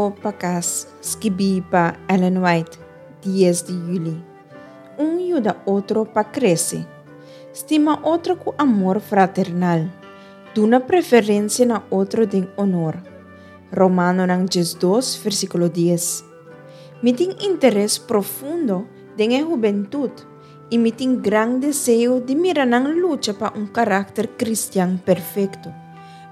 Rumbo pa kas, skibí pa Ellen White, dies di yüli. Un yuda otro pa krese. Stima otro ku amor fraternal. Duna preferensia na otro den onor. Romanonan 12, versíkulo 10. Mi tin interes profundo den e hubentut i mi tin gran deseo di mira nan lucha pa un karakter kristian perfekto,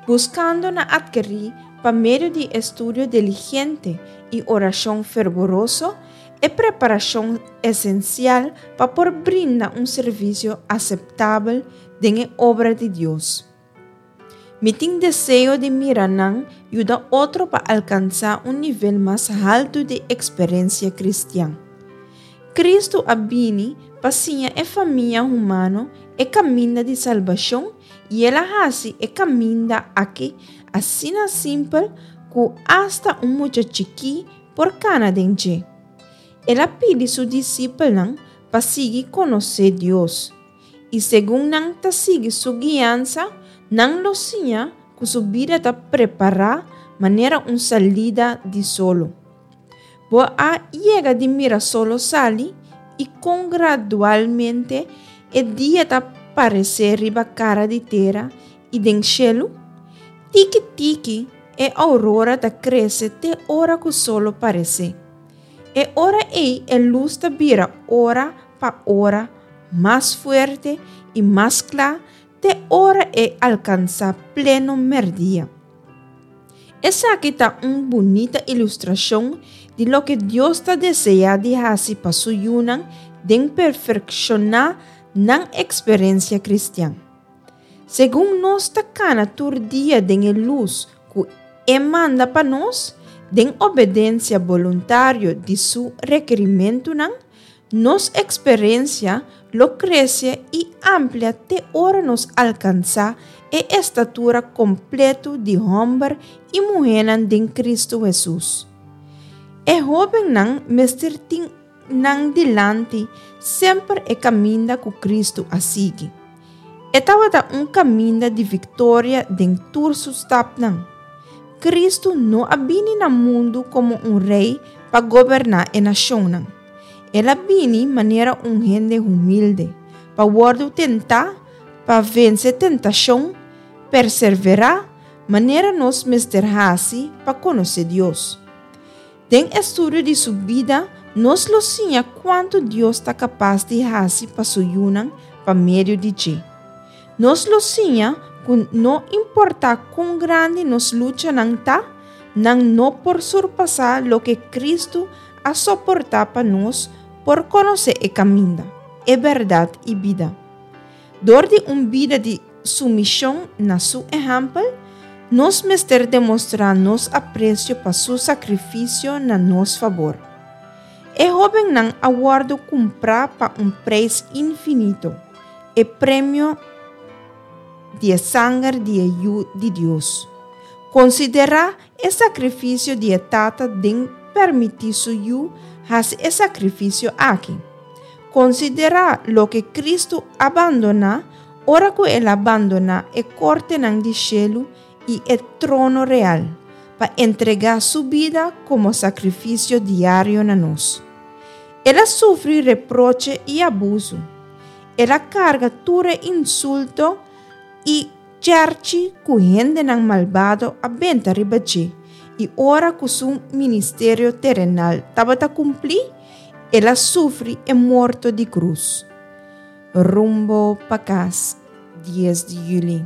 buskando na atkerí pa medio di estudio diligente i orashon ferboroso e preparashon esensial pa por brinda un servisio aseptabel den e obra di Dios. Mi tin deseo di mira nan yuda otro pa alkansá un nivel mas haltu di eksperensia kristian. Kristu a bini pa siña e famia humano e kaminda di salbashon i el a hasi e kaminda aki asina simpel ku asta un mucha chikí por kana den dje. El a pidi su disipelnan pa sigui konosé Dios. I segun nan ta sigui su guiansa, nan lo siña ku su bida ta prepará manera un salida di solo. Bo a yega di mira solo sali i kon gradualmente e dia ta paresé riba kara di tera i den shelu? Tiki tiki e ourora ta krese te ora ku solo paresé. E ora ei e lus ta bira ora pa ora mas fuerte i mas kla te ora e alkansá pleno mèrdia. Esaki ta un bunita ilustrashon di loke Dios ta deseá di hasi pa su yunan den perfekshoná nan eksperensia kristian. Segun nos ta kana tur dia den e lus ku E manda pa nos, den obedensia boluntario di Su rekerimentunan, nos eksperensia lo krese i amplia te ora nos alkansá e estatura kompletu di hòmber i muhénan den Kristu Hesus. E hóbennan mester tin nan dilanti semper e kaminda ku Kristu a sigui. E tabata un kaminda di viktoria den tur su stapnan. Kristu no a bini na mundu komo un rei pa goberná e nashonnan. El a bini manera un hende humilde, pa wòrdu tentá, pa vense tentashon, perserverá, manera nos mester hasi pa konosé Dios. Den estudio di su bida, nos lo siña kuantu Dios ta kapas di hasi pa su yunan pa medio di dje. Nos lo siña ku no importá kon grandi nos luchanan ta, nan no por surpasá loke Kristu a soportá pa nos por konosé e kaminda, e bèrdat i bida. Dor di un bida di sumishon na su ehèmpel, nos mester demostrá nos apresio pa su sakrifisio na nos fabor. E hóbennan a wòrdu kumprá pa un preis infinito, e premio di e sanger di e Yu di Dios. Konsiderá e sakrifisio di e Tata den permití su Yu hasi e sakrifisio aki. Konsiderá loke Kristu a bandoná ora ku el a bandoná e kortenan di shelu i e trono real, pa entregá su bida komo sakrifisio diario na nos. El a sufri reproche i abusu. El a karga tur e insulto i chèrchi ku hendenan malbado a benta riba dje, i ora ku su ministerio terenal tabata kumplí, el a sufri e morto di krus. Rumbo pa kas, dies di yüli.